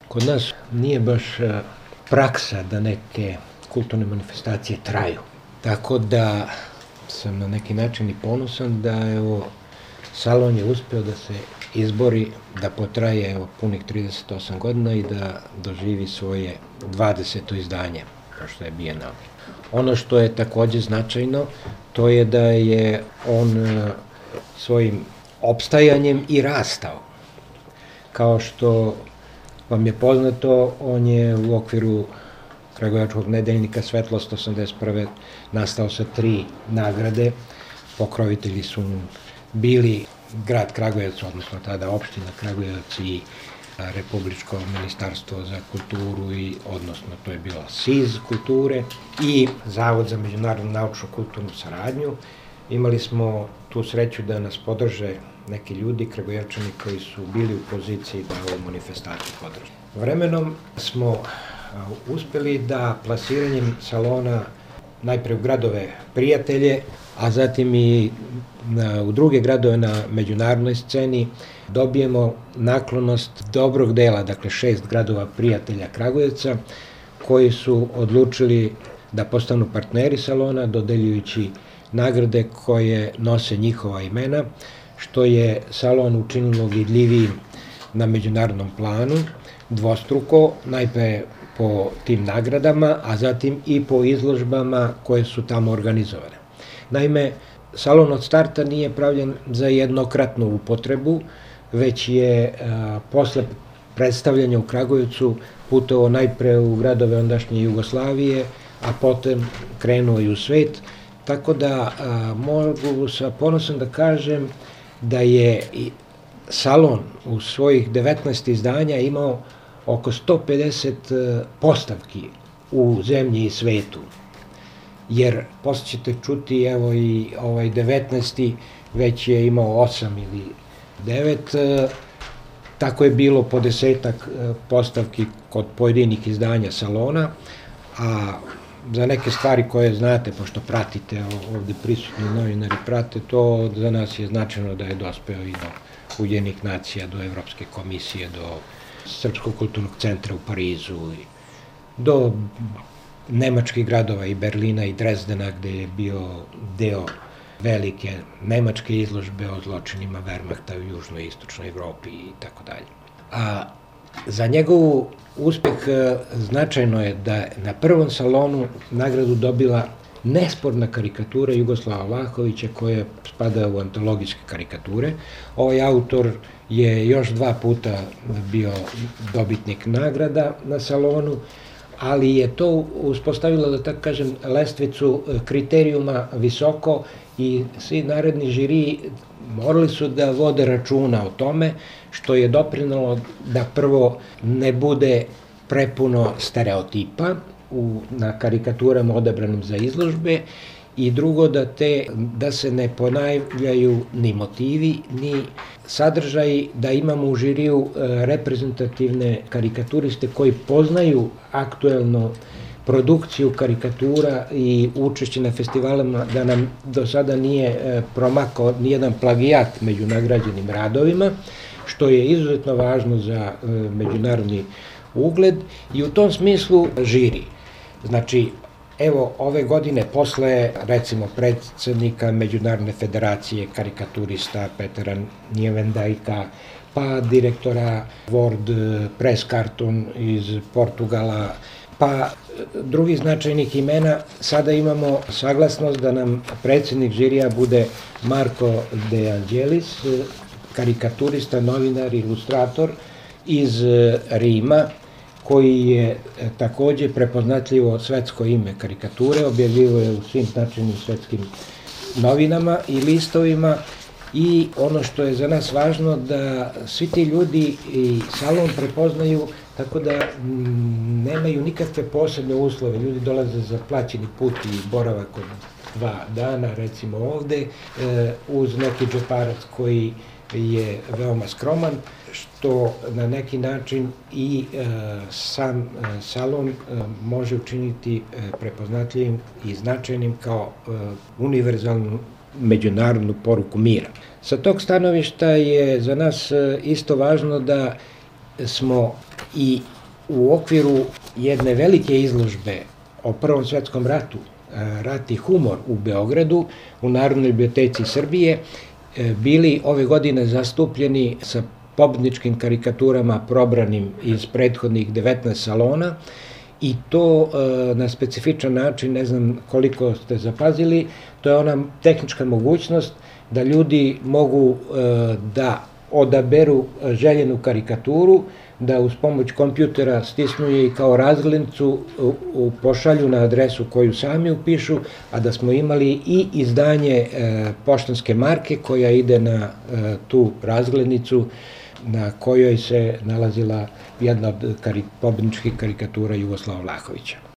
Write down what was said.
Kod nas nije baš praksa da neke kulturne manifestacije traju. Tako da sam na neki način i ponosan da salon je uspeo da se izbori, da potraje punih 38 godina i da doživi svoje 20. izdanje, kao što je Bijenale. Ono što je takođe značajno, to je da je on svojim opstajanjem i rastao. Kao što vam je poznato, on je u okviru Kragujevačkog nedeljnika Svetlost 81. nastao sa 3 nagrade. Pokrovitelji su bili grad Kragujevac, odnosno tada opština Kragujevac i Republičko ministarstvo za kulturu, odnosno to je bilo SIZ kulture i Zavod za međunarodnu naučnu kulturnu saradnju. Imali smo tu sreću da nas podrže neki ljudi, Kragujevčani, koji su bili u poziciji da ovu manifestaciju podrže. Vremenom smo uspeli da plasiranjem salona najpre u gradove prijatelje, a zatim i u druge gradove na međunarodnoj sceni dobijemo naklonost dobrog dela, dakle 6 gradova prijatelja Kragujevca, koji su odlučili da postanu partneri salona, dodeljujući nagrade koje nose njihova imena, što je salon učinilo vidljivijim na međunarodnom planu, dvostruko, najpre po tim nagradama, a zatim i po izložbama koje su tamo organizovane. Naime, salon od starta nije pravljen za jednokratnu upotrebu, već je posle predstavljanja u Kragujevcu putovao najpre u gradove ondašnje Jugoslavije, a potom krenuo i u svet, tako da mogu sa ponosom da kažem da je salon u svojih 19 izdanja imao oko 150 postavki u zemlji i svetu. Jer, posle ćete čuti, evo i ovaj 19. već je imao 8 ili 9, tako je bilo po 10 postavki kod pojedinih izdanja salona, a za neke stvari koje znate, pošto pratite, ovde prisutni novinari prate to, za nas je značajno da je dospeo i do Ujedinjenih nacija, do Evropske komisije, do Srpskog kulturnog centra u Parizu, do nemačkih gradova i Berlina i Drezdena, gde je bio deo velike nemačke izložbe o zločinima Wehrmachta u južnoj i istočnoj Evropi i tako dalje. A za njegovu uspeh značajno je da na prvom salonu nagradu dobila nesporna karikatura Jugoslava Vlahovića, koja spada u antologijske karikature. Ovaj autor je još 2 puta bio dobitnik nagrada na salonu, ali je to uspostavilo, da tako kažem, lestvicu kriterijuma visoko i svi naredni žiriji morali su da vode računa o tome, što je doprinalo da prvo ne bude prepuno stereotipa na karikaturama odabranim za izložbe i drugo da se ne ponavljaju ni motivi, ni sadržaji, da imamo u žiriju reprezentativne karikaturiste koji poznaju aktuelno produkciju karikatura i učešće na festivalima, da nam do sada nije promakao nijedan plagijat među nagrađenim radovima, što je izuzetno važno za međunarodni ugled i u tom smislu žiri. Znači, evo, ove godine posle, recimo, predsednika Međunarodne federacije karikaturista Petera Njevendajka, pa direktora World Press Cartoon iz Portugala, pa drugih značajnih imena, sada imamo saglasnost da nam predsednik žirija bude Marko De Angelis, karikaturista, novinar, ilustrator iz Rima, koji je takođe prepoznatljivo svetsko ime karikature, objavljivo je u svim značajnim svetskim novinama i listovima i ono što je za nas važno da svi ti ljudi i salon prepoznaju, tako da nemaju nikakve posebne uslove. Ljudi dolaze za plaćeni put i boravak od 2 dana, recimo ovde, uz neki džeparac koji je veoma skroman, što na neki način i sam salon može učiniti prepoznatljivim i značajnim kao univerzalnu međunarodnu poruku mira. Sa tog stanovišta je za nas isto važno da smo i u okviru jedne velike izložbe o Prvom svetskom ratu, Rat i humor u Beogradu, u Narodnoj biblioteci Srbije, bili ove godine zastupljeni sa pobedničkim karikaturama probranim iz prethodnih 19 salona, i to na specifičan način, ne znam koliko ste zapazili, to je ona tehnička mogućnost da ljudi mogu da odaberu željenu karikaturu, da uz pomoć kompjutera stisnu je i kao razglednicu pošalju na adresu koju sami upišu, a da smo imali i izdanje poštanske marke koja ide na tu razglednicu na kojoj se nalazila jedna od pobedničkih karikatura Jugoslava Vlahovića.